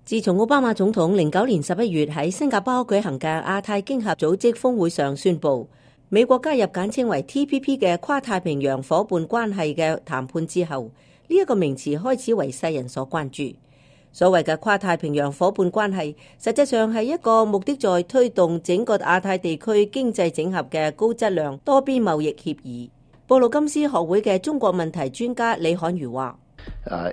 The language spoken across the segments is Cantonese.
自從奧巴馬總統09年11月喺新加坡舉行嘅亞太經合組織峰會上宣布美國加入簡稱為 TPP 嘅跨太平洋夥伴關係嘅談判之後，呢一個名詞開始為世人所關注。所謂嘅跨太平洋夥伴關係，實際上係一個目的在推動整個亞太地區經濟整合嘅高質量多邊貿易協議。布魯金斯學會嘅中國問題專家李漢如話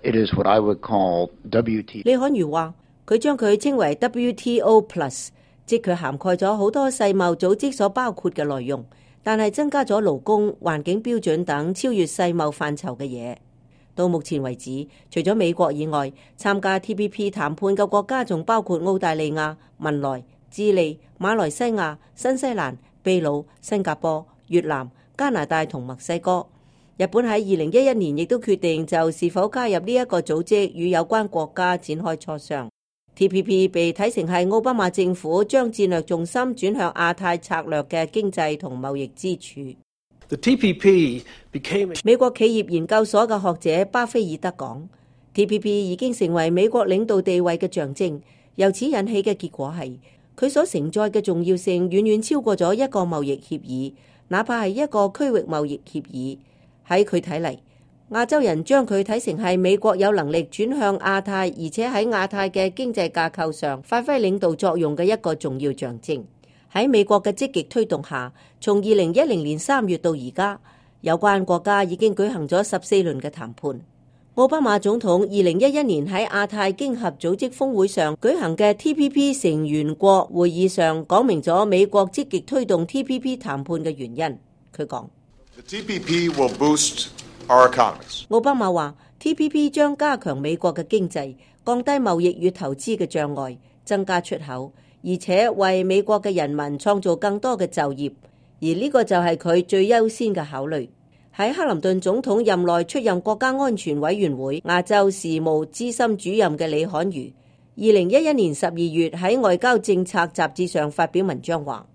：It is what I would call WTO。李漢如話，佢將佢稱為 WTO Plus， 即佢涵蓋咗好多世貿組織所包括嘅內容，但係增加咗勞工、環境標準等超越世貿範疇嘅嘢。到目前為止，除咗美國以外，參加 TPP 談判嘅國家仲包括澳大利亞、文萊、智利、馬來西亞、新西蘭、秘魯、新加坡、越南、加拿大同墨西哥。日本喺2011年亦都決定就是否加入呢一個組織與有關國家展開磋商。TPP 被睇成係奧巴馬政府將戰略重心轉向亞太策略嘅經濟同貿易支柱。The TPP became... 美國企業研究所嘅學者巴菲爾德講 ，TPP 已經成為美國領導地位嘅象徵。由此引起嘅結果係，佢所承載嘅重要性遠遠超過咗一個貿易協議，哪怕係一個區域貿易協議。喺佢睇嚟，亞洲人將佢睇成係美國有能力轉向亞太，而且喺亞太嘅經濟架構上發揮領導作用嘅一個重要象徵。喺美國嘅積極推動下，從2010年3月到而家，有關國家已經舉行咗14輪嘅談判。奧巴馬總統2011年喺亞太經合組織峰會上舉行嘅 TPP 成員國會議上，講明咗美國積極推動 TPP 談判嘅原因。佢講：The TPP will boost our economies. 奧巴馬話 TPP 將加強美國嘅經濟，降低貿易與投資嘅障礙，增加出口，而且為美國嘅人民創造更多嘅就業，而呢個就係佢最優先嘅考慮。喺克林頓總統任內出任國家安全委員會亞洲事務資深主任嘅李漢如，2011年12月喺外交政策雜誌上發表文章話，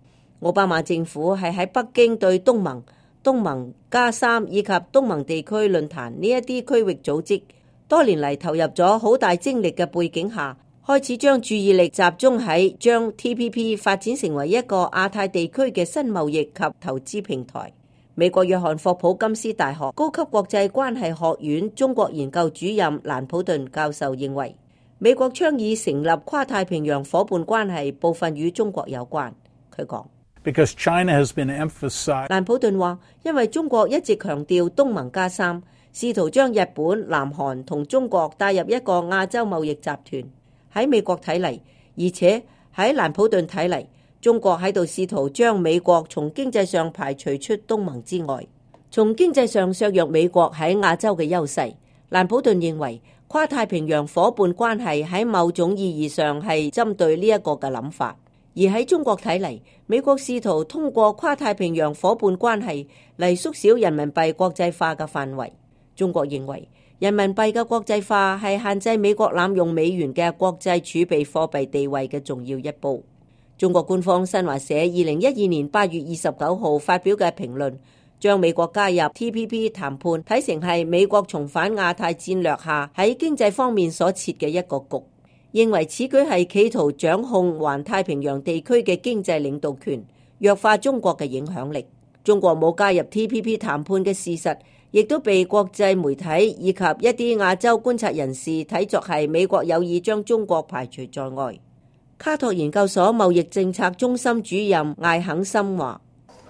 奧巴馬政府係喺北京對東盟、東盟+3以及東盟地區論壇呢一啲區域組織多年嚟投入咗好大精力嘅背景下，開始將注意力集中喺將 TPP 發展成為一個亞太地區嘅新貿易及投資平台。美國約翰霍普金斯大學高級國際關係學院中國研究主任蘭普頓教授認為，美國倡議成立跨太平洋夥伴關係部分與中國有關。佢講Because China has been emphasized. 蘭普頓話，因為中國一直強調東盟+3，試圖將日本、南韓同中國帶入一個亞洲貿易集團。喺美國睇嚟，而且喺蘭普頓睇嚟，中國喺度試圖將美國從經濟上排除出東盟之外，從經濟上削弱美國喺亞洲嘅優勢。蘭普頓認為，跨太平洋夥伴關係喺某種意義上係針對呢一個嘅諗法。而喺中國睇嚟，美國試圖通過跨太平洋夥伴關係嚟縮小人民幣國際化嘅範圍。中國認為人民幣嘅國際化係限制美國濫用美元嘅國際儲備貨幣地位嘅重要一步。中國官方新華社2012年8月29號發表嘅評論，將美國加入 TPP 談判睇成係美國重返亞太戰略下喺經濟方面所設嘅一個局，認為此舉係企圖掌控環太平洋地區嘅經濟領導權，弱化中國嘅影響力。中國冇加入 TPP 談判嘅事實，亦都被國際媒體以及一啲亞洲觀察人士睇作係美國有意將中國排除在外。卡托研究所貿易政策中心主任艾肯森話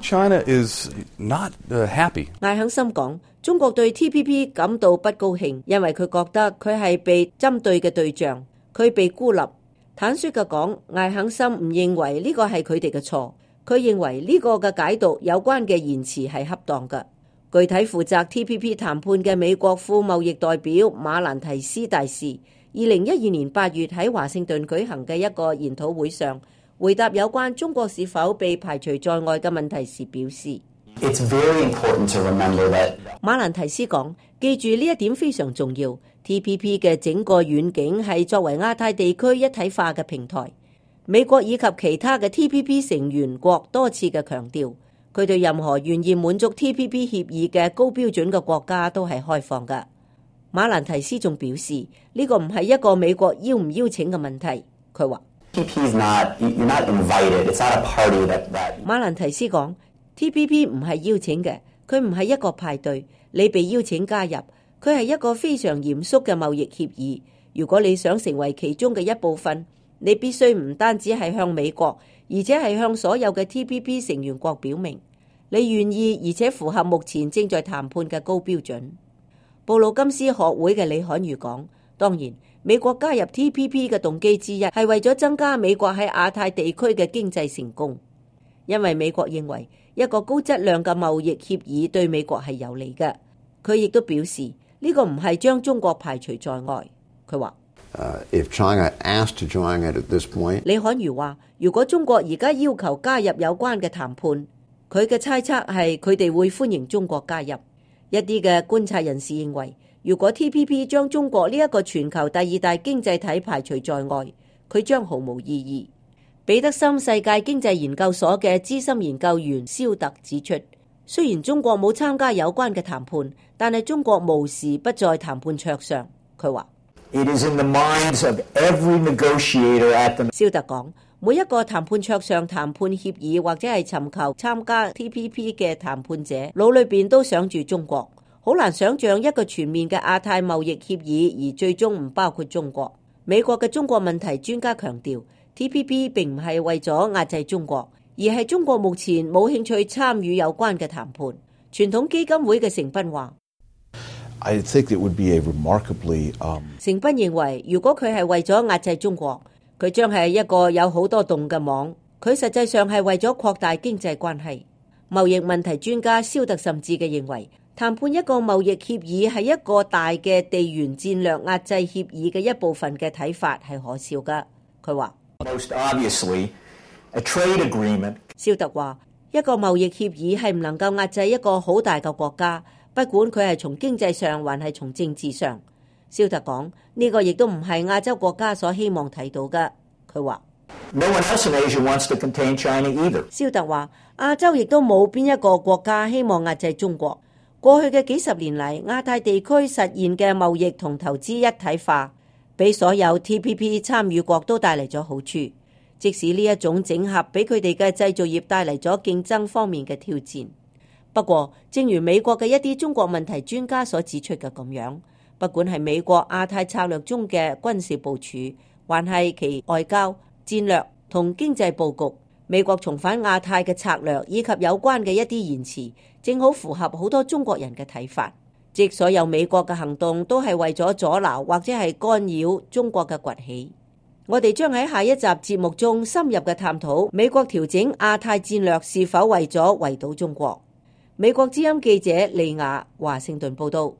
：China is not happy。艾肯森講，中國對 TPP 感到不高興，因為佢覺得佢係被針對嘅對象，佢被孤立。坦率嘅講，艾肯森唔認為呢個係佢哋嘅錯，佢認為呢個嘅解讀有關嘅言辭係恰當嘅。具體負責 TPP 談判嘅美國副貿易代表馬蘭提斯大使2012年8月喺華盛頓舉行嘅一個研討會上，回答有關中國是否被排除在外嘅問題時表示：It's very important to remember that。馬蘭提斯講，記住呢一點非常重要。TPP 嘅整個遠景係作為亞太地區一體化嘅平台。美國以及其他嘅 TPP 成員國多次嘅強調，佢對任何願意滿足 TPP 協議嘅高標準嘅國家都係開放嘅。馬蘭提斯仲表示，呢個唔係一個美國邀唔邀請嘅問題。佢話 TPP is not, you're not invited. It's not a party that 馬蘭提斯講 TPP 唔係邀請嘅，佢唔係一個派對，你被邀請加入，佢係一個非常嚴肅嘅貿易協議。如果你想成為其中嘅一部分，你必須唔單止係向美國，而且係向所有嘅 TPP 成員國表明你願意，而且符合目前正在談判嘅高標準。布魯金斯學會嘅李侃如講，當然美國加入 TPP 嘅動機之一係為咗增加美國喺亞太地區嘅經濟成功，因為美國認為一個高質量嘅貿易協議對美國係有利嘅。佢亦都表示呢個唔係將中國排除在外。佢話If China asked to join it at this point， 李侃如話，如果中國而家要求加入有關嘅談判，佢嘅猜測係佢哋會歡迎中國加入。一啲嘅觀察人士認為，如果 TPP 將中國呢一個全球第二大經濟體排除在外，佢將毫無意義。彼得森世界經濟研究所嘅資深研究員蕭特指出，雖然中國冇參加有關嘅談判，但係中國無時不在談判桌上。佢話It is in the minds of every negotiator at the 蕭特講，每一個談判桌上談判協議或者係尋求參加 TPP 嘅談判者腦裏邊都想住中國，好難想象一個全面嘅亞太貿易協議而最終唔包括中國。美國嘅中國問題專家強調， TPP 並唔係為咗壓制中國，而係中國目前冇興趣參與有關嘅談判。傳統基金會嘅成斌話I think it would be a remarkably 成斌認為，如果佢係為咗壓制中國，佢將係一個有好多洞嘅網。佢實際上係為咗擴大經濟關係。貿易問題專家蕭特甚至嘅認為，談判一個貿易協議係一個大嘅地緣戰略壓制協議嘅一部分嘅睇法係可笑㗎。佢話 most obviously a trade agreement。蕭特話，一個貿易協議係唔能夠壓制一個好大嘅國家，不管佢係從經濟上還係從政治上。蕭特講，呢個亦都唔係亞洲國家所希望睇到嘅。佢話 No one else in Asia wants to contain China either。蕭特話，亞洲亦都冇邊一個國家希望壓制中國。過去嘅幾十年嚟，亞太地區實現嘅貿易同投資一體化，俾所有 TPP 參與國都帶嚟咗好處。即使呢一種整合俾佢哋嘅製造業帶嚟咗競爭方面嘅挑戰。不過，正如美國嘅一啲中國問題專家所指出嘅咁樣，不管係美國亞太策略中嘅軍事部署，還係其外交戰略同經濟佈局，美國重返亞太嘅策略以及有關嘅一啲言辭，正好符合好多中國人嘅睇法，即所有美國嘅行動都係為咗阻撓或者係干擾中國嘅崛起。我哋將喺下一集節目中深入嘅探討美國調整亞太戰略是否為咗圍堵中國。美國之音記者利亞華盛頓報道。